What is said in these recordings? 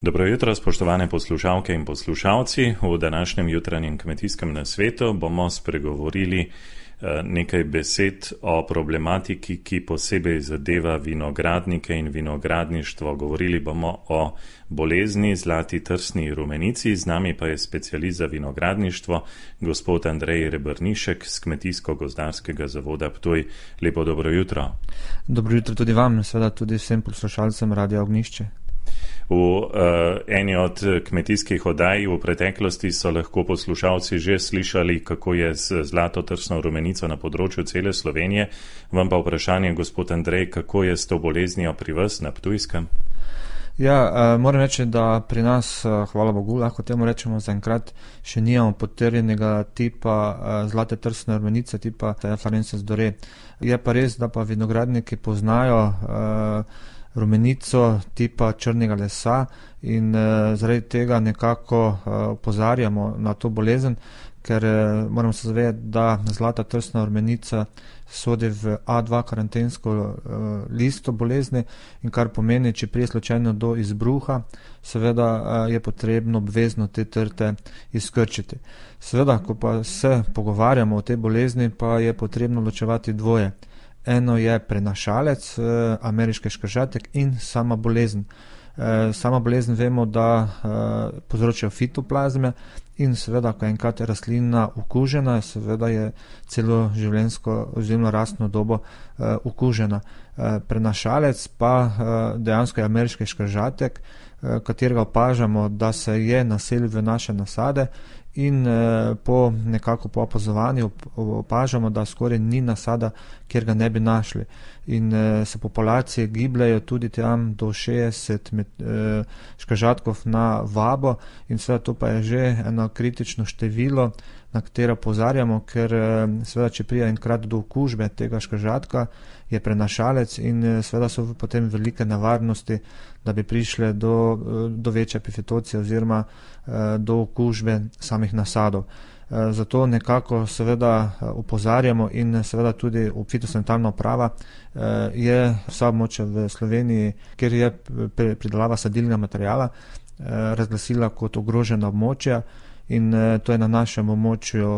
Dobro jutro, spoštovane poslušalke in poslušalci. V današnjem jutranjem kmetijskem nasvetu bomo spregovorili nekaj besed o problematiki, ki posebej zadeva vinogradnike in vinogradništvo. Govorili bomo o bolezni zlati trsni rumenici, z nami pa je specialist za vinogradništvo, gospod Andrej Rebrnišek z Kmetijsko-gozdarskega zavoda Ptuj. Lepo dobro jutro. Dobro jutro tudi vam, seveda tudi vsem poslušalcem Radia Ognjišče. V eni od kmetijskih oddaj v preteklosti so lahko poslušalci že slišali, kako je z zlato trsno rumenico na področju cele Slovenije. Vam pa vprašanje, gospod Andrej, kako je s to boleznijo pri vas na Ptujskem? Ja, moram reči, da pri nas, hvala Bogu, lahko temu rečemo, zaenkrat še nimamo potrjenega tipa zlate trsne rumenice, tipa Farensis Dore. Je pa res, da pa vinogradniki poznajo rumenico tipa črnega lesa in zaradi tega nekako opozarjamo na to bolezen, ker moramo se zavedati, da zlata trsna rumenica sodi v A2 karantensko listo bolezni, in kar pomeni, če prije slučajno do izbruha, seveda je potrebno obvezno te trte izkrčiti. Seveda, ko pa se pogovarjamo o tej bolezni, pa je potrebno ločevati dvoje. Eno je prenašalec, ameriški škržatek, in sama bolezen. Sama bolezen vemo, da povzročajo fitoplazme, in seveda, ko je enkrat rastlina okužena, seveda je celo življenjsko oziroma rastno dobo okužena. Prenašalec pa dejansko je ameriški škržatek, katerega opažamo, da se je naselil v naše nasade, in po opazovanju opažamo, da skoraj ni nasada, kjer ga ne bi našli. In se populacije gibljajo tudi tam do 60 škržatkov na vabo, in seveda to pa je že eno kritično število, na katero opozarjamo, ker seveda, če pride enkrat do okužbe tega škržatka, je prenašalec in seveda so potem velike nevarnosti, da bi prišle do večje epifitocije oziroma do okužbe samih nasadov. Zato nekako seveda opozarjamo, in seveda tudi fitosanitarna uprava je vsa območja v Sloveniji, kjer je pridelava sadilnega materiala, razglasila kot ogrožena območja, in to je na našem območju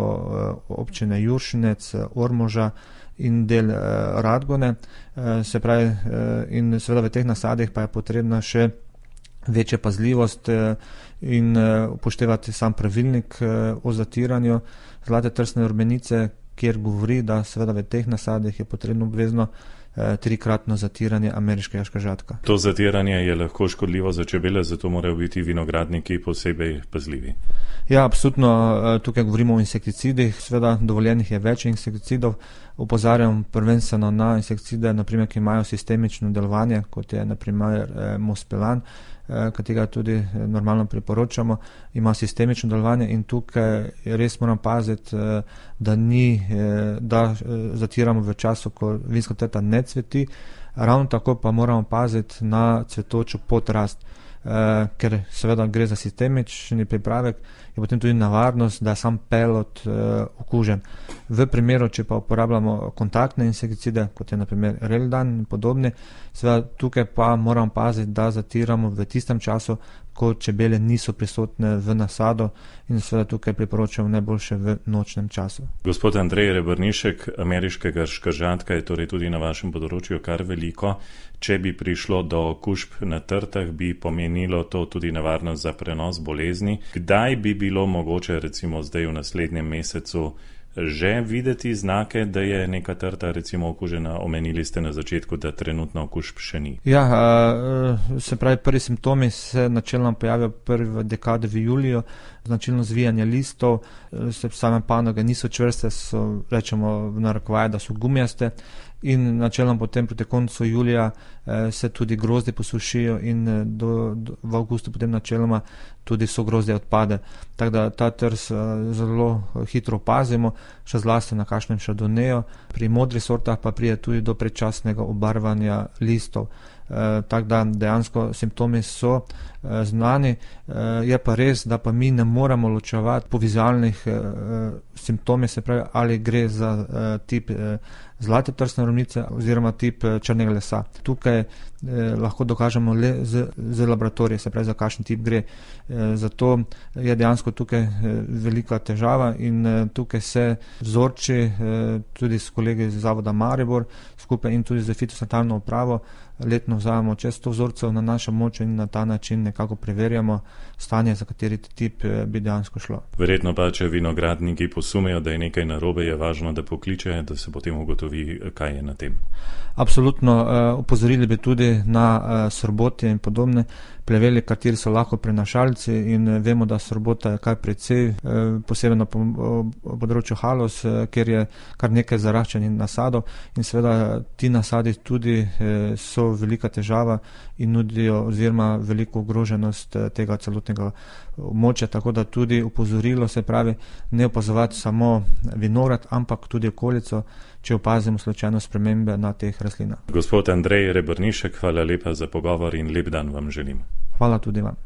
občine Juršenec, Ormoža in del Radgone. Se pravi, in seveda v teh nasadih pa je potrebna še večja pazljivost in upoštevati sam pravilnik o zatiranju zlate trsne rumenice, kjer govori, da seveda v teh nasadih je potrebno obvezno 3-kratno zatiranje ameriškega škržatka. To zatiranje je lahko škodljivo za čebele, zato morajo biti vinogradniki posebej pazljivi. Ja, absolutno, tukaj govorimo o insekticidih, seveda dovoljenih je več insekticidov. Opozarjam prvenstveno na insekticide, naprimer, ki imajo sistemično delovanje, kot je naprimer Mospellan, katerega tudi normalno priporočamo, ima sistemično delovanje, in tukaj res moram paziti, da zatiramo v času, ko vinska trta ne cveti, ravno tako pa moramo paziti na cvetočo podrast, ker seveda gre za sistemični pripravek, je potem tudi nevarnost, da je sam pelod okužen. V primeru, če pa uporabljamo kontaktne insekticide, kot je naprimer Reldan in podobni, seveda tukaj pa moramo paziti, da zatiramo v tistem času, ko čebele niso prisotne v nasadu, in seveda tukaj priporočamo najboljše v nočnem času. Gospod Andrej Rebrnišek, ameriškega škržatka je torej tudi na vašem področju kar veliko. Če bi prišlo do okužb na trtah, bi pomenilo to tudi nevarnost za prenos bolezni. Kdaj bi bilo mogoče, recimo zdaj v naslednjem mesecu, že videti znake, da je neka trta recimo okužena? Omenili ste na začetku, da trenutno okužb še ni. Ja, se pravi, prvi simptomi se načelno pojavijo prvi dekadi v juliju, značilno zvijanje listov, se same panoge niso čvrste, rečemo v narekovaje, da so gumijaste, in načelno potem proti koncu julija se tudi grozdje posušijo, in v avgustu potem načeloma tudi so grozdje odpade. Tako da ta trs zelo hitro opazimo, še zlasti na kakšnem šardoneju. Pri modrih sortah pa pride tudi do predčasnega obarvanja listov. tako da dejansko simptomi so znani. Je pa res, da pa mi ne moramo ločevati po vizualnih simptomih, se pravi, ali gre za tip zlate trsne ormenice oziroma tip črnega lesa. Tukaj lahko dokažemo le z laboratorije, se pravi, za kakšen tip gre. Zato je dejansko tukaj velika težava in tukaj se vzorči tudi s kolegi iz Zavoda Maribor skupaj in tudi z fitosanitarno upravo letno vzamemo čez 100 vzorcev na našem območju in na ta način nekako preverjamo stanje, za kateri tip bi dejansko šlo. Verjetno pa, če vinogradniki posumejo, da je nekaj narobe, je važno, da pokliče, da se potem ugotovi, kaj je na tem. Absolutno. Opozorili bi tudi na srbotje in podobne pleveli, kateri so lahko prenašalci in vemo, da srbota je kar precej, posebej na področju Haloz, kjer je kar nekaj zaraščenih nasadov in seveda ti nasadi tudi so velika težava in nudijo oziroma veliko ogroženost tega celotnega območja, tako da tudi opozorilo, se pravi, ne opazovati samo vinograd, ampak tudi okolico, če opazimo slučajno spremembe na teh rastlinah. Gospod Andrej Rebrnišek, hvala lepa za pogovor in lep dan vam želim. Hvala tudi vam.